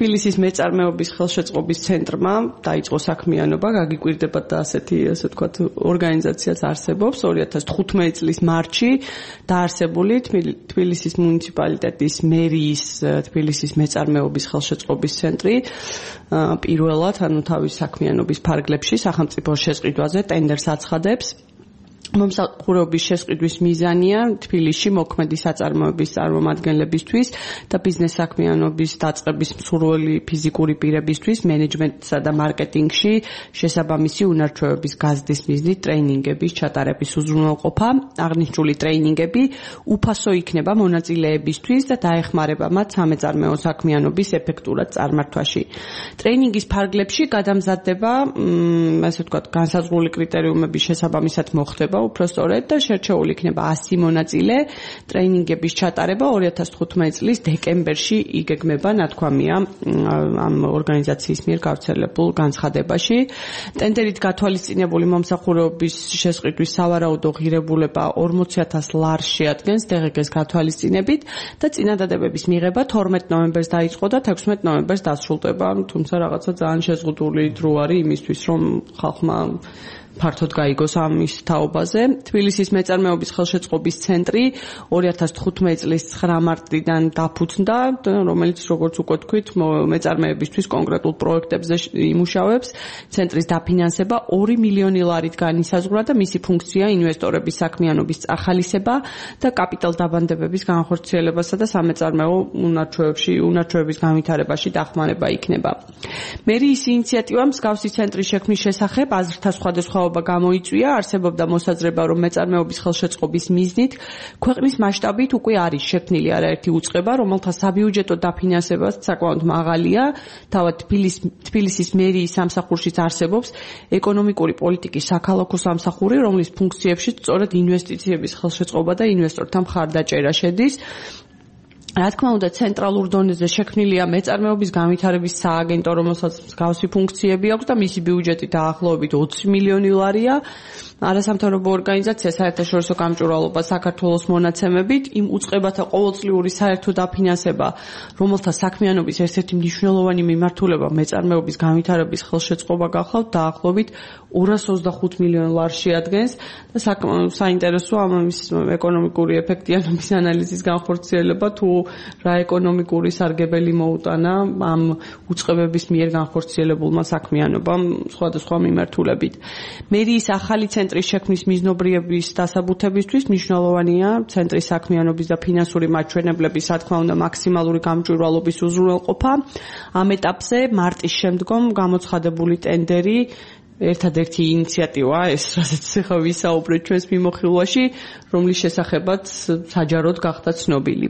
თბილისის მეწარმეობის ხელშეწყობის ცენტრმა დაიწყო საქმიანობა, გაგიკვირდებათ და ასეთი, ასე ვთქვათ, ორგანიზაციაც არსებობს 2015 წლის მარტში დაარსებული თბილისის მუნიციპალიტეტის მერიის თბილისის მეწარმეობის ხელშეწყობის ცენტრი პირველად, ანუ თავის საქმიანობის ფარგლებში სახელმწიფოს შესყიდვაზე ტენდერს აცხადებს. მომსახურების შესყიდვის მიზანია თბილისში მოქმედი საწარმოების წარმომადგენლებისთვის და ბიზნეს საქმიანობის დაწყების მსურველი ფიზიკური პირებისთვის მენეჯმენტსა და მარკეტინგში შესაბამისი უნარჩვევების გაზრდის მიზნით ტრეინინგების ჩატარების უზრუნველყოფა. აღნიშნული ტრეინინგები უფასო იქნება მონაწილეებისთვის და დაეხმარება მათ სამეწარმეო საქმიანობის ეფექტურად წარმართვაში. ტრეინინგის ფარგლებში გადამზადდება, ასე ვთქვათ, განსაზღვრული კრიტერიუმების შესაბამისად მოხდება უფრო სწორედ და შერჩეული იქნება 100 მონაწილე. ტრეინინგების ჩატარება 2015 წლის დეკემბერში იგეგმება, ნათქვამია ამ ორგანიზაციის მიერ გავრცელებულ განცხადებაში. ტენდერით გათვალისწინებული მომსახურების შესყიდვის სავარაუდო ღირებულება 40,000 ლარს შეადგენს DGG-ს გათვალისწინებით და წინადადებების მიღება 12 ნოემბერს დაიწყო და 16 ნოემბერს დასრულდება, თუმცა რაღაცა ძალიან შეზღუდული დრო არის იმისთვის, რომ ხალხმა ფართოდ გაიგოს ამის თაობაზე. თბილისის მეწარმეობის ხელშეწყობის ცენტრი 2015 წლის 9 მარტიდან დაფუძნდა, რომელიც როგორც უკვე თქვით, მეწარმეებისთვის კონკრეტულ პროექტებზე იმუშავებს. ცენტრის დაფინანსება 2 მილიონი ლარით განისაზღვრა და მისი ფუნქცია ინვესტორების საქმიანობის წახალისება და კაპიტალ დაბანდებების განხორციელებასა და სამეწარმეო უნარჩვევების განვითარებაში დახმარება იქნება. მერიის ინიციატივა მსგავსი ცენტრის შექმნის შესახებ აზრთა სხვადასხვაობა გამოიწვია, არსებობდა მოსაზრება, რომ მეწარმეობის ხელშეწყობის მიზნით ქვეყნის მასშტაბით უკვე არის შექმნილი არაერთი უწყება, რომელთა საბიუჯეტო დაფინანსებაც საკმაოდ მაღალია. თავად თბილისის მერიის სამსახურშიც არსებობს ეკონომიკური პოლიტიკის საქალაქო სამსახური, რომლის ფუნქციებში სწორედ ინვესტიციების ხელშეწყობა და ინვესტორთა მხარდაჭერა შედის. რა თქმა უნდა, ცენტრალურ დონეზე შექმნილია მეწარმეობის განვითარების სააგენტო, რომელსაც მსგავსი ფუნქციები აქვს და მისი ბიუჯეტი დაახლოებით 20 მილიონი ლარია. არასამთავრობო ორგანიზაცია საერთაშორისო გამჭვირვალობა საქართველოს მონაცემებით იმ უწყებათა ყოველწლიური საერთო დაფინანსება, რომელთა საქმიანობის ერთ-ერთი მნიშვნელოვანი მიმართულება მეწარმეობის განვითარების ხელშეწყობა გახლავთ, დაახლოებით 225 მილიონ ლარს შეადგენს და საინტერესო ამის ეკონომიკური ეფექტიანობის ანალიზის განხორციელება თუ რა ეკონომიკური სარგებელი მოუტანა ამ უწყებების მიერ განხორციელებულმა საქმიანობამ სხვადასხვა მიმართულებით. მერიის ახალი ცენტრის შექმნის მიზნობრიების დასაბუთებისთვის მნიშვნელოვანია ცენტრის საქმიანობის და ფინანსური მაჩვენებლების, რა თქმა უნდა, მაქსიმალური გამჭვირვალობის უზრუნველყოფა. ამ ეტაპზე მარტის შემდგომ გამოცხადებული ტენდერი ერთადერთი ინიციატივაა ეს, რასაც ახლა ვისაუბრეთ ჩვენს მიმოხილვაში, რომლის შესახებაც საჯაროდ გახდა ცნობილი.